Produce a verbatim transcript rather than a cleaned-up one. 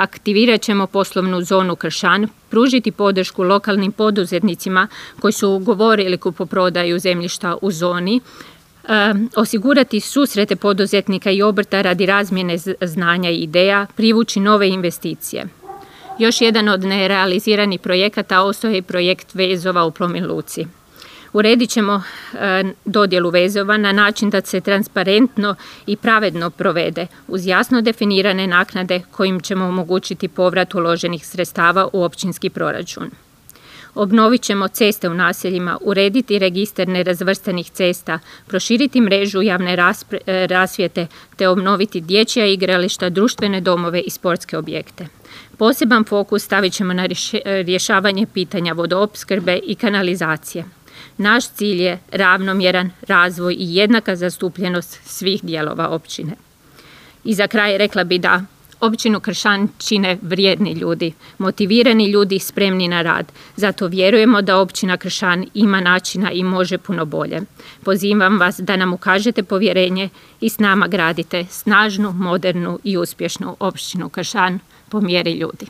Aktivirat ćemo poslovnu zonu Kršan, pružiti podršku lokalnim poduzetnicima koji su ugovorili kupoprodaju zemljišta u zoni, e, osigurati susrete poduzetnika i obrta radi razmjene znanja i ideja, privući nove investicije. Još jedan od nerealiziranih projekata ostao je projekt vezova u Plomin Luci. Uredit ćemo e, dodjelu vezova na način da se transparentno i pravedno provede uz jasno definirane naknade kojim ćemo omogućiti povrat uloženih sredstava u općinski proračun. Obnovit ćemo ceste u naseljima, urediti registar nerazvrstanih cesta, proširiti mrežu javne raspre, rasvjete te obnoviti dječja igrališta, društvene domove i sportske objekte. Poseban fokus stavit ćemo na rješavanje pitanja vodoopskrbe i kanalizacije. Naš cilj je ravnomjeran razvoj i jednaka zastupljenost svih dijelova općine. I za kraj rekla bi da općinu Kršan čine vrijedni ljudi, motivirani ljudi spremni na rad. Zato vjerujemo da općina Kršan ima načina i može puno bolje. Pozivam vas da nam ukažete povjerenje i s nama gradite snažnu, modernu i uspješnu općinu Kršan po mjeri ljudi.